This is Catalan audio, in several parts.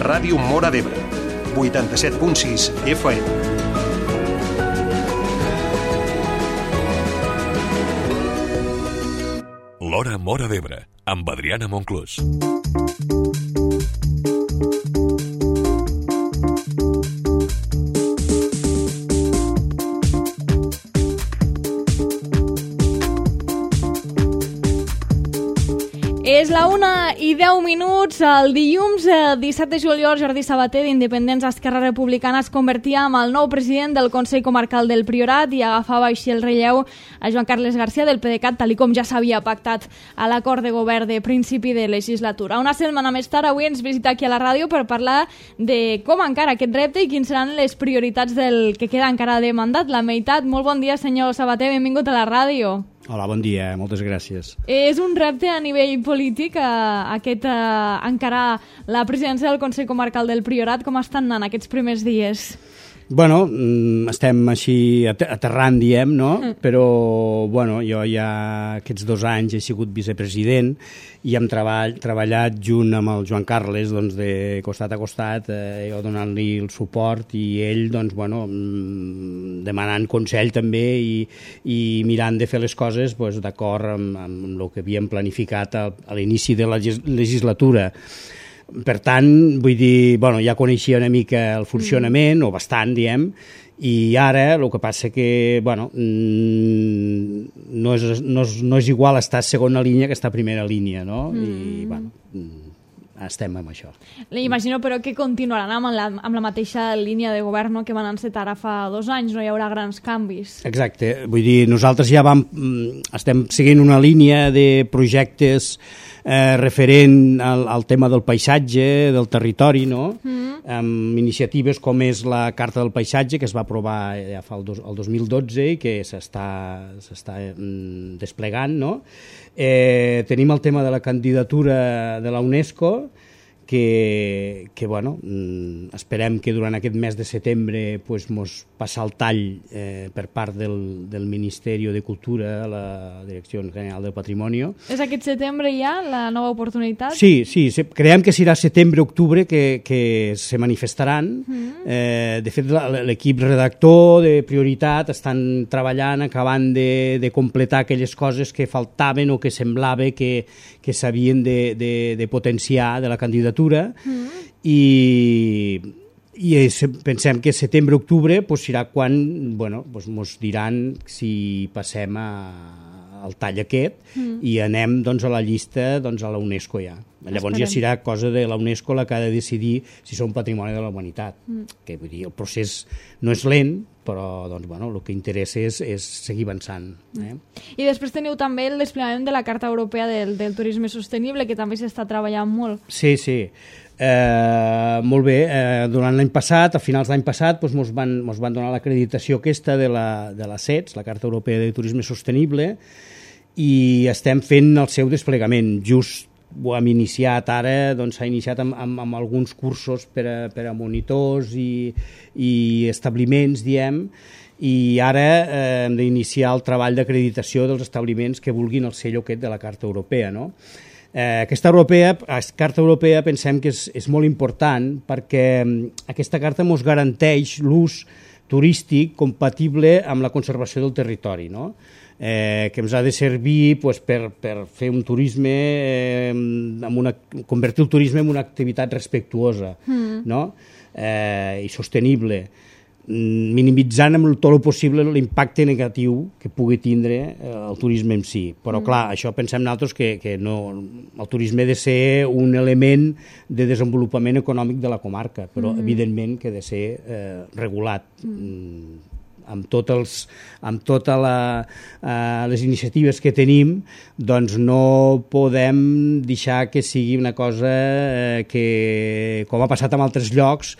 Ràdio Móra d'Ebre, 87.6 FM. L'Hora Móra d'Ebre, amb Adriana Monclús. És la 1:10, el dilluns 17 de juliol. Jordi Sabater, d'Independents Esquerra Republicana, es convertia en el nou president del Consell Comarcal del Priorat i agafava així el relleu a Joan Carles García del PDeCAT, tal com ja s'havia pactat a l'acord de govern de principi de legislatura. Una setmana més tard, avui ens visita aquí a la ràdio per parlar de com encara aquest repte i quins seran les prioritats del que queda encara de mandat, la meitat. Molt bon dia, senyor Sabater, benvingut a la ràdio. Hola, bon dia, moltes gràcies. És un repte a nivell polític encarar la presidència del Consell Comarcal del Priorat. Com estan anant aquests primers dies? Bueno, estem així aterrant, diem, no? Però, bueno, jo ja aquests 2 anys he sigut vicepresident i hem treballat junt amb el Joan Carles, doncs, de costat a costat, jo donant-li el suport i ell, doncs, bueno, demanant consell també i mirant de fer les coses doncs, d'acord amb el que havíem planificat a l'inici de la legislatura. Per tant, vull dir, bueno, ja coneixia una mica el funcionament, o bastant, diem, i ara el que passa que, bueno, no és igual estar a segona línia que estar a primera línia, no? I, bueno, estem amb això. Imagino, però, que continuaran amb la mateixa línia de govern, no?, que van encetar ara fa 2 anys, no hi haurà grans canvis. Exacte, vull dir, nosaltres ja estem seguint una línia de projectes referent al tema del paisatge, del territori, no? Amb iniciatives com és la Carta del Paisatge, que es va aprovar ja fa el 2012 i que s'està desplegant, no? Tenim el tema de la candidatura de la UNESCO, que bueno, esperem que durant aquest mes de setembre mos passa el tall per part del Ministeri de Cultura, la Direcció General del Patrimoni. És aquest setembre ja la nova oportunitat? Sí, creiem que serà setembre-octubre que se manifestaran. De fet, l'equip redactor de Prioritat estan treballant, acabant de completar aquelles coses que faltaven o que semblava que s'havien de potenciar de la candidatura. I pensem que setembre-octubre serà quan ens diran si passem al tall aquest i anem a la llista a la UNESCO ja. Llavors ja serà cosa de la UNESCO la que ha de decidir si som patrimoni de la humanitat. Que vull dir, el procés no és lent, però el que interessa és seguir avançant. I després teniu també el desplegament de la Carta Europea del Turisme Sostenible, que també s'està treballant molt. Sí. Molt bé. Durant l'any passat, a finals d'any passat, ens van donar l'acreditació aquesta de la CETS, la Carta Europea de Turisme Sostenible, i estem fent el seu desplegament. Just ho hem iniciat ara, s'ha iniciat amb alguns cursos per a monitors i establiments, diem, i ara hem d'iniciar el treball d'acreditació dels establiments que vulguin el sello aquest de la Carta Europea, no? Aquesta Carta Europea pensem que és molt important perquè aquesta carta ens garanteix l'ús turístic compatible amb la conservació del territori, no? Que ens ha de servir per fer un turisme, convertir el turisme en una activitat respectuosa, no? I sostenible, minimitzant amb tot el possible l'impacte negatiu que pugui tindre el turisme en si. Però clar, això pensem nosaltres que no, el turisme ha de ser un element de desenvolupament econòmic de la comarca, però evidentment que ha de ser regulat amb totes les iniciatives que tenim. Doncs no podem deixar que sigui una cosa que, com ha passat en altres llocs,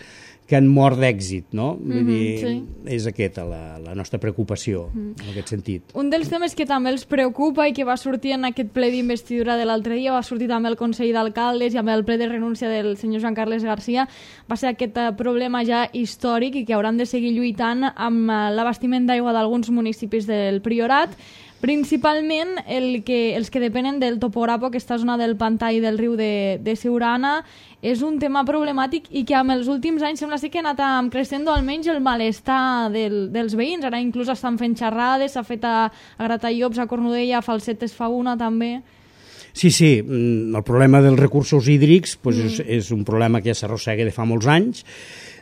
que han mort d'èxit, no? Vull dir, és aquesta la nostra preocupació, en aquest sentit. Un dels temes que també els preocupa i que va sortir en aquest ple d'investidura de l'altre dia, va sortir també el Consell d'Alcaldes i amb el ple de renúncia del senyor Joan Carles García, va ser aquest problema ja històric i que hauran de seguir lluitant amb l'abastiment d'aigua d'alguns municipis del Priorat. Principalment els que depenen del Topograpo, aquesta zona del pantà i del riu de Siurana, és un tema problemàtic i que amb els últims anys sembla que ha anat creixent almenys el malestar dels veïns. Ara inclús estan fent xerrades, s'ha fet a Gratallops, a Cornudella, a Falsetes fa una també. Sí, el problema dels recursos hídrics és un problema que ja s'arrossega de fa molts anys.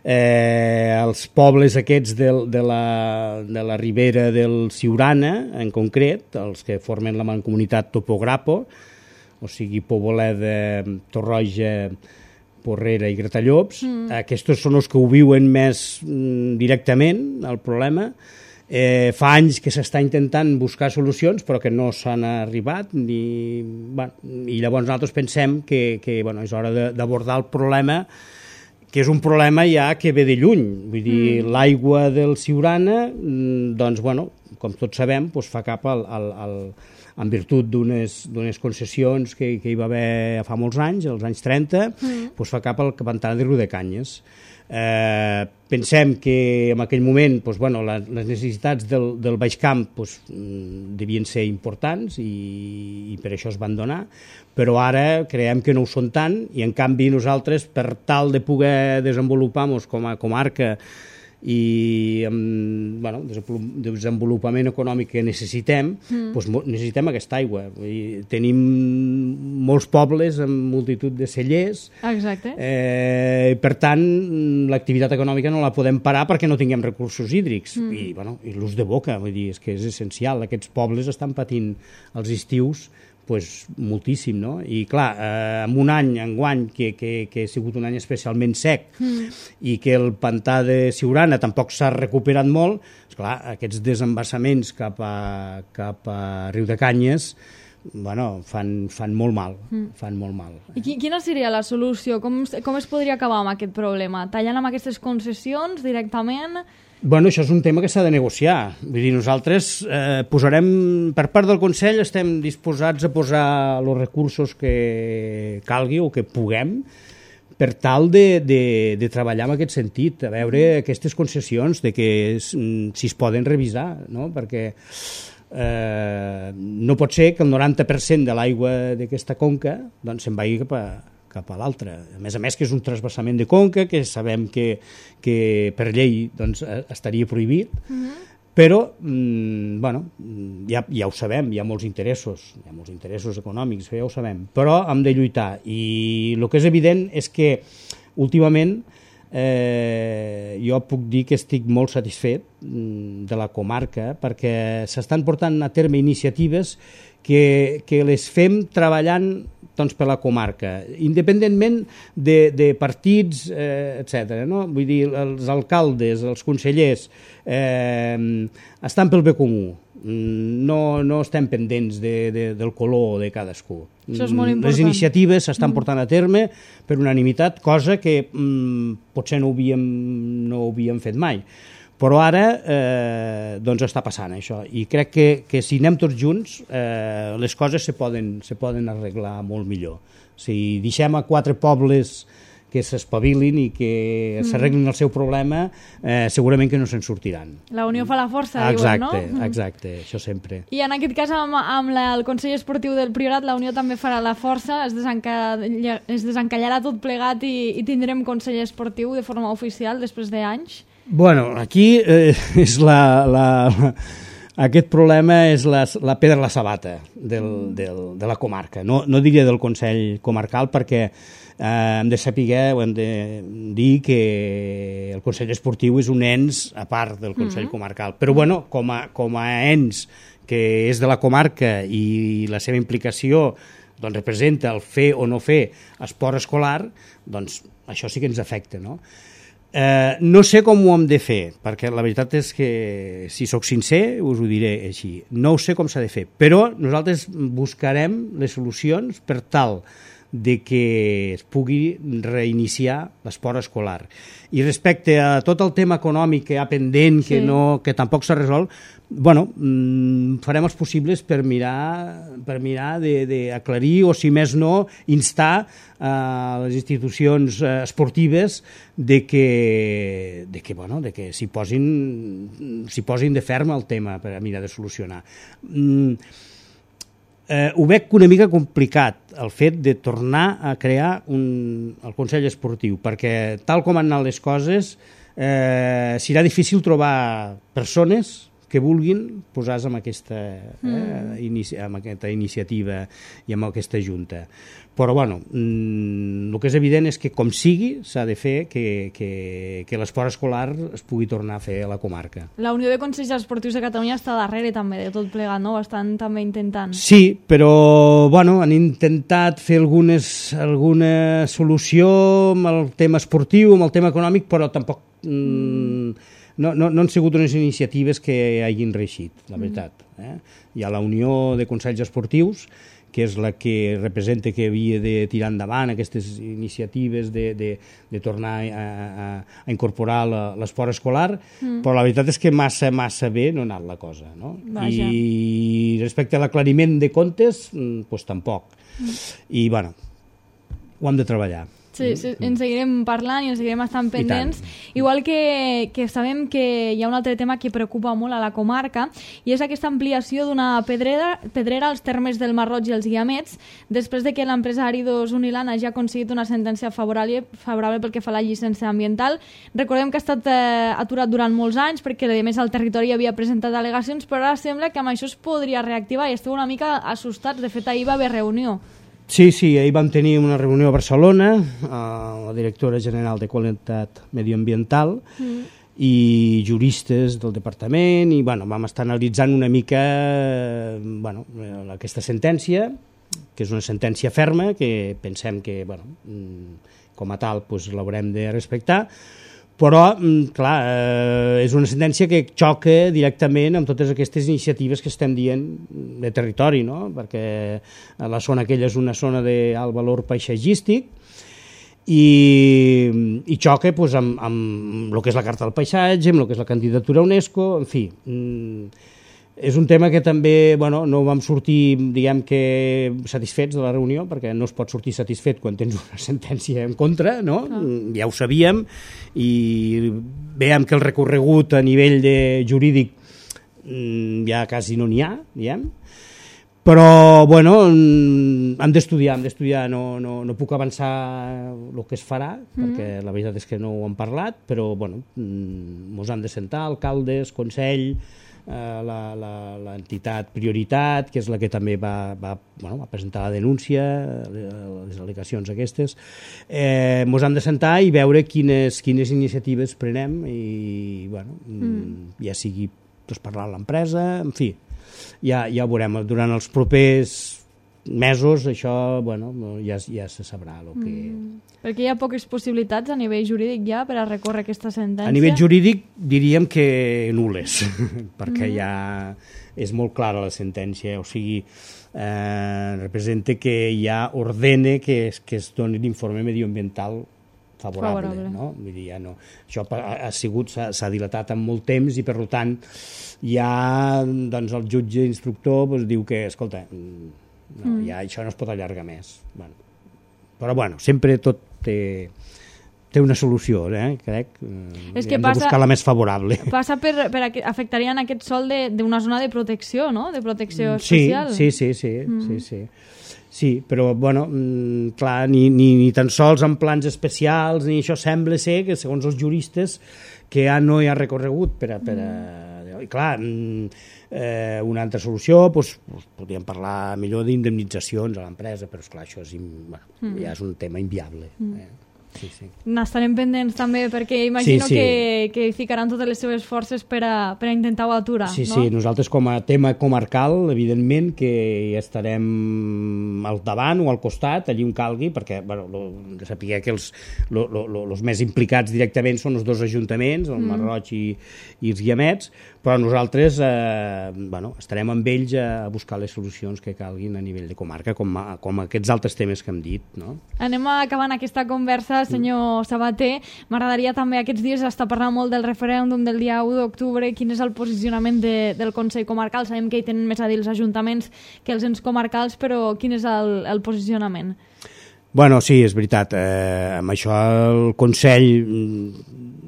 Els pobles aquests de la ribera del Siurana, en concret, els que formen la mancomunitat Topograpo, o sigui, Poboleda, Torroja, Porrera i Gratallops, aquests són els que ho viuen més directament, el problema. Fa anys que s'està intentant buscar solucions però que no s'han arribat i llavors nosaltres pensem que és hora d'abordar el problema, que és un problema ja que ve de lluny. Vull dir, l'aigua del Siurana, doncs, com tots sabem, fa cap en virtut d'unes concessions que hi va haver fa molts anys, als anys 30, fa cap al pantà de Riudecanyes. Pensem que en aquell moment les necessitats del Baix Camp devien ser importants i per això es van donar, però ara creiem que no ho són tant i en canvi nosaltres, per tal de poder desenvolupar-nos com a comarca i amb desenvolupament econòmic que necessitem, necessitem aquesta aigua. Tenim molts pobles amb multitud de cellers. Exacte. Per tant, l'activitat econòmica no la podem parar perquè no tinguem recursos hídrics. I l'ús de boca, vull dir, és que és essencial. Aquests pobles estan patint els estius moltíssim, no? I clar, en un any, enguany, que ha sigut un any especialment sec i que el pantà de Siurana tampoc s'ha recuperat molt, esclar, aquests desembassaments cap a Riudecanyes fan molt mal, I quina seria la solució? Com es podria acabar amb aquest problema? Tallant amb aquestes concessions directament? Això és un tema que s'ha de negociar. Vull dir, nosaltres posarem, per part del Consell, estem disposats a posar els recursos que calgui o que puguem per tal de treballar en aquest sentit, a veure aquestes concessions, de que si es poden revisar, no? Perquè no pot ser que el 90% de l'aigua d'aquesta conca se'n vagi cap a l'altra. A més que és un transvasament de conca, que sabem que per llei estaria prohibit, però ja ho sabem, hi ha molts interessos econòmics, ja ho sabem, però hem de lluitar. I el que és evident és que últimament jo puc dir que estic molt satisfet de la comarca perquè s'estan portant a terme iniciatives que les fem treballant per la comarca, independentment de partits, etc. No? Vull dir, els alcaldes, els consellers estan pel bé comú, no estem pendents del color de cadascú. Això és molt important. Les iniciatives s'estan portant a terme per unanimitat, cosa que potser no ho havíem fet mai. Però ara està passant això i crec que si anem tots junts les coses se poden arreglar molt millor. Si deixem a 4 pobles que s'espavilin i que s'arreglin el seu problema, segurament que no se'n sortiran. La unió fa la força, diuen, no? Exacte, això sempre. I en aquest cas amb el Consell Esportiu del Priorat la unió també farà la força, es desencallarà tot plegat i tindrem Consell Esportiu de forma oficial després d'anys? Aquí és aquest problema és la pedra a la sabata de la comarca. No diria del Consell Comarcal perquè hem de saber, hem de dir que el Consell Esportiu és un ens a part del Consell Comarcal. Però com a ens que és de la comarca i la seva implicació representa el fer o no fer esport escolar, això sí que ens afecta, no? No sé com ho hem de fer, perquè la veritat és que, si sóc sincer, us ho diré així. No ho sé com s'ha de fer, però nosaltres buscarem les solucions per tal de que es pugui reiniciar l'esport escolar. I respecte a tot el tema econòmic que hi ha pendent, que tampoc s'ha resolt, farem els possibles per mirar d'aclarir o, si més no, instar a les institucions esportives de que s'hi posin de ferm el tema per a mirar de solucionar. Ho veig una mica complicat el fet de tornar a crear el Consell Esportiu, perquè tal com han anat les coses serà difícil trobar persones que vulguin posar-se amb aquesta iniciativa i amb aquesta junta. Però, el que és evident és que, com sigui, s'ha de fer que l'esport escolar es pugui tornar a fer a la comarca. La Unió de Consells Esportius de Catalunya està darrere també de tot plegat, no? Ho estan també intentant. Sí, però, han intentat fer alguna solució amb el tema esportiu, amb el tema econòmic, però tampoc no han sigut unes iniciatives que hagin reeixit, la veritat. Hi ha la Unió de Consells Esportius, que és la que representa que havia de tirar endavant aquestes iniciatives de tornar a incorporar l'esport escolar, però la veritat és que massa bé no ha anat la cosa. No? I respecte a l'aclariment de comptes, doncs tampoc. I, ho hem de treballar. Sí, ens seguirem parlant i ens seguirem estant pendents. Igual que sabem que hi ha un altre tema que preocupa molt a la comarca, i és aquesta ampliació d'una pedrera als termes del Mar Roig i els Guiamets, després de que l'empresa Áridos Unilana ja ha aconseguit una sentència favorable pel que fa a la llicència ambiental. Recordem que ha estat aturat durant molts anys perquè, a més, el territori havia presentat al·legacions, però ara sembla que amb això es podria reactivar i esteu una mica assustats. De fet, ahir va haver reunió. Sí, ahir vam tenir una reunió a Barcelona, la directora general de Qualitat Medioambiental i juristes del departament, i vam estar analitzant una mica aquesta sentència, que és una sentència ferma, que pensem que com a tal l'haurem de respectar, però, clar, és una sentència que xoca directament amb totes aquestes iniciatives que estem dient de territori, no? Perquè la zona aquella és una zona d'alt valor paisatgístic i xoca amb el que és la Carta del Paisatge, amb el que és la candidatura a UNESCO, en fi. És un tema que també no vam sortir, diguem que, satisfets de la reunió, perquè no es pot sortir satisfet quan tens una sentència en contra, no? Ja ho sabíem, i veiem que el recorregut a nivell jurídic ja quasi no n'hi ha, diguem. Però, hem d'estudiar, no puc avançar el que es farà, perquè la veritat és que no ho hem parlat, però, ens han de sentar alcaldes, consell, l'entitat Prioritat, que és la que també va presentar la denúncia, les al·legacions aquestes. Ens hem de sentar i veure quines iniciatives prenem i, ja sigui parlar amb l'empresa, en fi, ja ho veurem. Durant els propers mesos això ja se sabrà el que... Perquè hi ha poques possibilitats a nivell jurídic ja per a recórrer aquesta sentència? A nivell jurídic diríem que nul·les, perquè ja és molt clara la sentència, o sigui, representa que ja ordena que es doni l'informe medioambiental favorable. No? Vull dir, això s'ha dilatat en molt temps i, per tant, ja el jutge instructor diu que, escolta, ja això no es pot allargar més. Però, sempre tot té una solució, crec. És que hem de buscar la més favorable. Afectaria en aquest sòl d'una zona de protecció, no? De protecció especial. Sí, però, clar, ni tan sols en plans especials, ni això sembla ser que, segons els juristes, que ja no hi ha recorregut per a... I, clar, una altra solució, podríem parlar millor d'indemnitzacions a l'empresa, però, esclar, això ja és un tema inviable. N'estarem pendents també, perquè imagino que hi ficaran totes les seves forces per a intentar-ho aturar. Sí, no? sí, nosaltres com a tema comarcal, evidentment que hi estarem al davant o al costat, allí on calgui, perquè sapigueu que els més implicats directament són els dos ajuntaments, el Masroig i els Guiamets, però nosaltres estarem amb ells a buscar les solucions que calguin a nivell de comarca, com aquests altres temes que hem dit. No? Anem acabant aquesta conversa, senyor Sabater. M'agradaria també, aquests dies està parlant molt del referèndum del dia 1 d'octubre. Quin és el posicionament del Consell Comarcal? Sabem que hi tenen més a dir els ajuntaments que els ens comarcals, però quin és el posicionament? Bueno, sí, és veritat. Amb això el Consell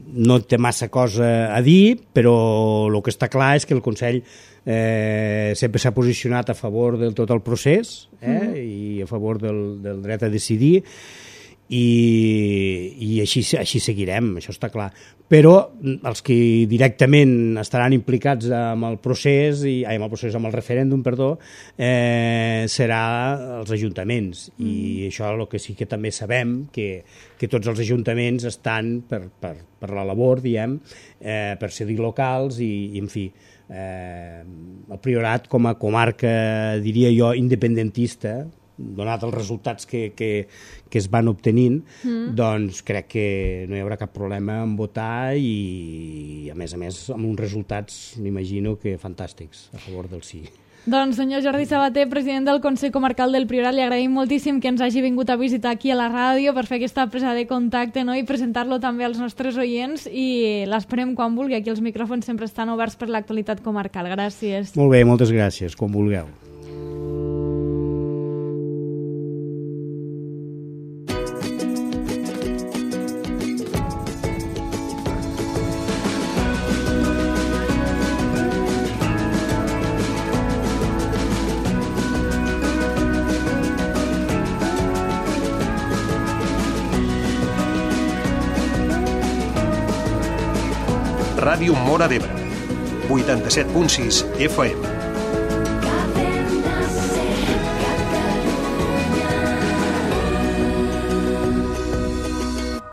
no té massa cosa a dir, però el que està clar és que el Consell sempre s'ha posicionat a favor de tot el procés i a favor del dret a decidir, i així seguirem, això està clar. Però els que directament estaran implicats amb el procés, amb el referèndum, serà els ajuntaments. I això el que sí que també sabem, que tots els ajuntaments estan per la labor, diguem, per cedir locals i en fi, el Priorat com a comarca, diria jo, independentista, donat els resultats que es van obtenint, doncs crec que no hi haurà cap problema en votar i, a més, amb uns resultats, m'imagino que fantàstics, a favor del sí. Doncs, senyor Jordi Sabater, president del Consell Comarcal del Priorat, li agraïm moltíssim que ens hagi vingut a visitar aquí a la ràdio per fer aquesta presa de contacte, no? I presentar-lo també als nostres oients, i l'esperem quan vulgui. Aquí els micròfons sempre estan oberts per l'actualitat comarcal. Gràcies. Molt bé, moltes gràcies, com vulgueu. Ràdio Móra d'Ebre, 87.6 FM.